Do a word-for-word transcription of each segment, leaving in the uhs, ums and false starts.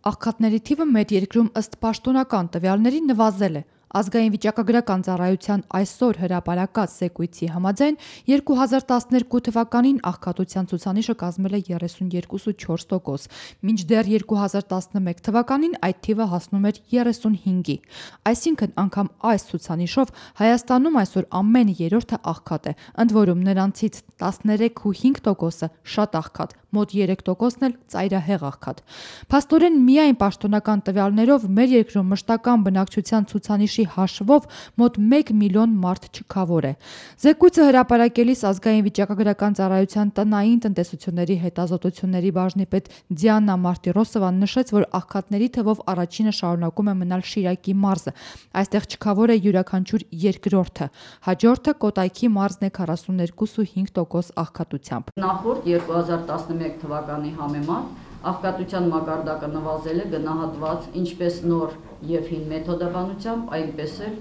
Աղքատների թիվը մեր երկրում ըստ պաշտոնական տվյալների նվազել է։ Ազգային վիճակագրական ծառայության այսօր հրապարակած զեկույցի համաձայն երկու հազար տասներկու թվականին աղքատության ցուցանիշը կազմել է երեսունյոթ կόμμα չորս տոկոս, մինչդեռ երկու հազար տասնմեկ թվականին այդ թիվը հասնում էր երեսունհինգի։ Այսինքն անգամ այս ցուցանիշով Հայաստանում այսօր ամեն երրորդը աղքատ է, ընդ որում նրանցից տասներեք կόμma հինգ տոկոսը շատ աղքատ, մոտ երեք տոկոսն էլ ծայրահեղ աղքատ։ Փաստորեն միայն պաշտոնական տվյալներով մեր երկրում մշտական բնակչության ցուցանիշի հաշվով մոտ մեկ միլիոն մարդ չքավոր է։ Զեկույցը հրապարակելիս ազգային վիճակագրական ծառայության տնային տնտեսությունների հետազոտությունների բաժնի պետ Դիանա Մարտիրոսովան նշեց, որ աղքատների թվով առաջինը շարունակում է մնալ Շիրակի մարզը։ Այստեղ չքավոր է յուրաքանչյուր երկրորդը։ Հաջորդը Կոտայքի մարզն է քառասուններկու կόμma հինգ տոկոս աղքատությամբ։ Նախորդ երկու հազար տասնմեկ թվականի համեմատ աղքատության մակարդակը նվազել է գնահատված ինչպես նոր եւ հին մեթոդաբանությամբ, այնպես էլ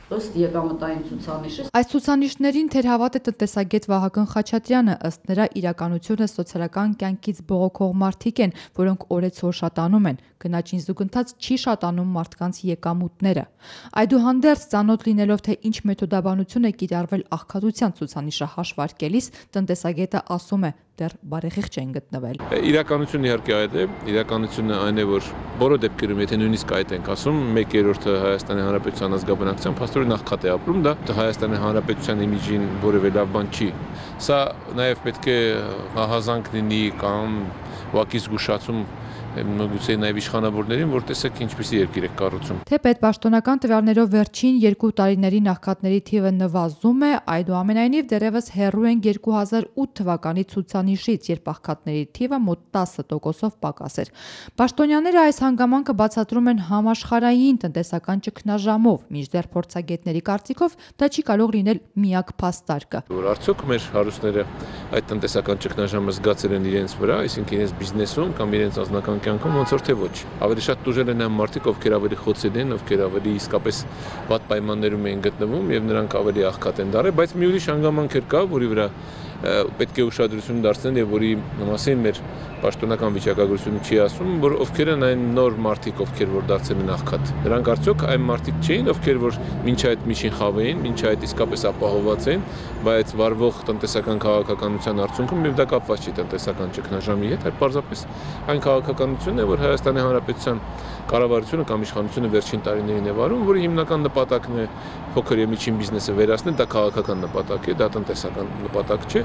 ըստ եկամտային ցուցանիշի։ Այս ցուցանիշներին թերհավատ է տնտեսագետ Վահագն Խաչատրյանը, ըստ նրա իրականությունը սոցիալական կյանքից բողոքող մարդիկ են, որոնք օրեցօր շատանում են, գնաճին զուգընթաց չի շատանում մարդկանց եկամուտները։ Այդուհանդերձ, ծանոթ լինելով թե ինչ մեթոդաբանություն է կիրառվել աղքատության ցուցանիշը հաշվարկելիս, տնտեսագետը ասում է, դեռ բարեխիղճ չեն գտնվել։ Իրականությունը իհարկե այդ է, իրականությունը այն է, որ բոլոր դեպքերում, եթե նույնիսկ այդ ենք ասում, մեկ երրորդը Հայաստանի Հանրապետության ազգաբնակչության փաստորեն աղքատ է ապրում, դա Հայաստանի Հանրապետության իմիջին որևէ լավ բան չի։ Սա նաև պետք է հազանգ լինի կամ ուղղակի զգուշացում գուցե նաև իշխանավորներին, որ տեսեք ինչպիսի երկիր է կառուցում։ Թեպետ պաշտոնական տվյալներով վերջին երկու տարիներին աղքատների թիվը նվազում է, այդուամենայնիվ դեռևս հեռու են երկու հազար ութ թվականի ցուցանիշից, երբ աղքատների թիվը մոտ տասը տոկոսով պակաս էր։ Պաշտոնյաները այս հանգամանքը բացատրում են համաշխարհային տնտեսական ճգնաժամով, մինչդեռ փորձագետների կարծիքով դա չի կարող լինել միակ փաստարկը։ Որ արդյոք մեր հարուստները այդ տնտեսական ճգնաժամը զգացել են իրենց վրա, այսինքն իրենց բիզնեսում կամ իրենց անձնական կյանքում, ոնց որ թե ոչ։ Ավելի շատ տուժել են այն մարդիկ, ովքեր ավելի խոցել են, ովքեր ավելի իսկապես վատ պայմաններում են գտնվում եւ նրանք ավելի աղքատ են դարել, բայց մի ուրիշ հանգամանք էր կա, որի վրա պետք է ուշադրություն դարձնել եւ որի մասին մեր պաշտոնական վիճակագրությունը չի ասում, որ ովքեր են այն նոր մարդիկ, ովքեր որ դարձել են աղքատ։ Նրանք արդյոք այն մարդիկ չէին, ովքեր որ մինչ այդ միջին խավ էին, մինչ այդ իսկապես ապահոված են, բայց վարվող տնտեսական քաղաքականության արդյունքում եւ դա կապված չի տնտեսական ճգնաժամի հետ, այլ պարզապես այն քաղաքականությունն է, որ Հայաստանի Հանրապետության կառավարությունը կամ իշխանությունը վերջին տարիներին է վարում, որի հիմնական նպատակն է փոքր եւ միջին բիզնեսը վերացնել, դա քաղաքական նպատակ է, դա տնտեսական նպատակ չէ,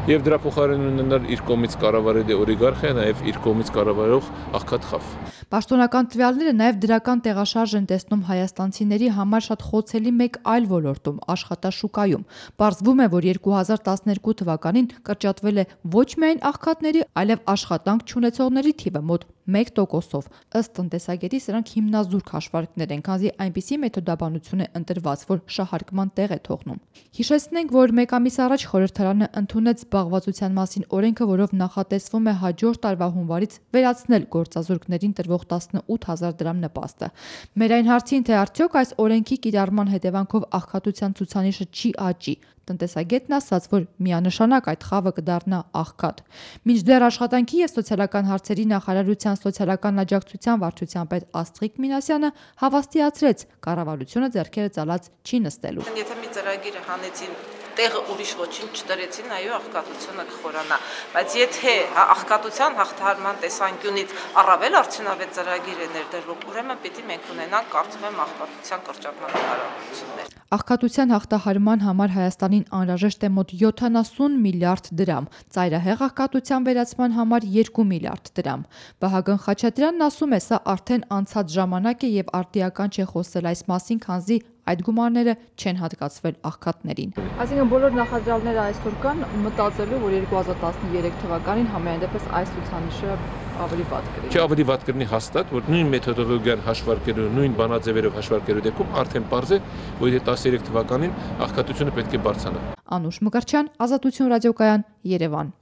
եւ դրա փոխարեն ունենալ իր կողմից կառավարել օլիգարխիա, նաեւ իր կողմից կառավարող աղքատ խավ։ Պաշտոնական տվյալները նաև դրական տեղաշարժ են տեսնում հայաստանցիների համար շատ խոցելի մեկ այլ ոլորտում՝ աշխատաշուկայում։ Պարզվում է, որ երկու հազար տասներկու թվականին կրճատվել է ոչ միայն աղքատների, այլև աշխատանք չունեցողների թիվը մոտ մեկ տոկոսով։ Ըստ տնտեսագետի սրանք հիմնազուրկ հաշվարկներ են, քանզի այնպիսի մեթոդաբանություն է ընտրված, որ շահարկման տեղ է թողնում։ Հիշեցնենք, որ մեկ ամիս առաջ խորհրդարանը ընդունեց զբաղվածության մասին օրենքը, որով նախատեսվում է հաջորդ տարվա հունվարից վերացնել գործազուրկներին տրվող տասնութ հազար դրամ նպաստը։ Մեր այն հարցին, թե արդյոք այս օրենքի կիրառման հետևանքով աղքատության ցուցանիշը չի աճի, տնտեսագետն ասաց, որ միանշանակ այդ խավը կդառնա աղքատ։ Մինչդեռ աշխատանքի եւ սոցիալական հարցերի նախարարության սոցիալական աջակցության վարչության պետ Աստղիկ Մինասյանը հավաստիացրեց, կառավարությունը ձեռքերը ծալած չի նստելու։ Եթե մի ծրագիր հանեցին, տեղը ուրիշ ոչինչ չտրեցին, այո, աղքատությունը կխորանա, բայց եթե աղքատության հաղթահարման տեսանկյունից առավել արդյունավետ ծրագիր է ներդրվում, ուրեմն պիտի մենք ունենանք, կարծում եմ, աղքատության կրճատման հնարավորություններ։ Աղքատության հաղթահարման համար Հայաստանին անհրաժեշտ է մոտ յոթանասուն միլիարդ դրամ, ծայրահեղ աղքատության վերացման համար երկու միլիարդ դրամ։ Վահագն Խաչատրյանն ասում է, սա արդեն անցած ժամանակ է եւ արդիական չէ խոսել այս մասին, քանզի այդ գումարները չեն հատկացվել աղքատներին։ Այսինքն բոլոր նախադրյալները այսօր կան մտածելու, որ երկու հազար տասներեք թվականին համենայն դեպս այս ցուցանիշը ավելի վատ կլինի։ Չէ, ավելի վատ կլինի հաստատ, որ նույն մեթոդոլոգիան հաշվարկելու, նույն բանաձևերով հաշվարկելու դեպքում արդեն պարզ է, որ տասներեք թվականին աղքատությունը պետք է բարձրանա։ Անուշ Մկրտչյան, Ազատություն ռադիոկայան, Երևան։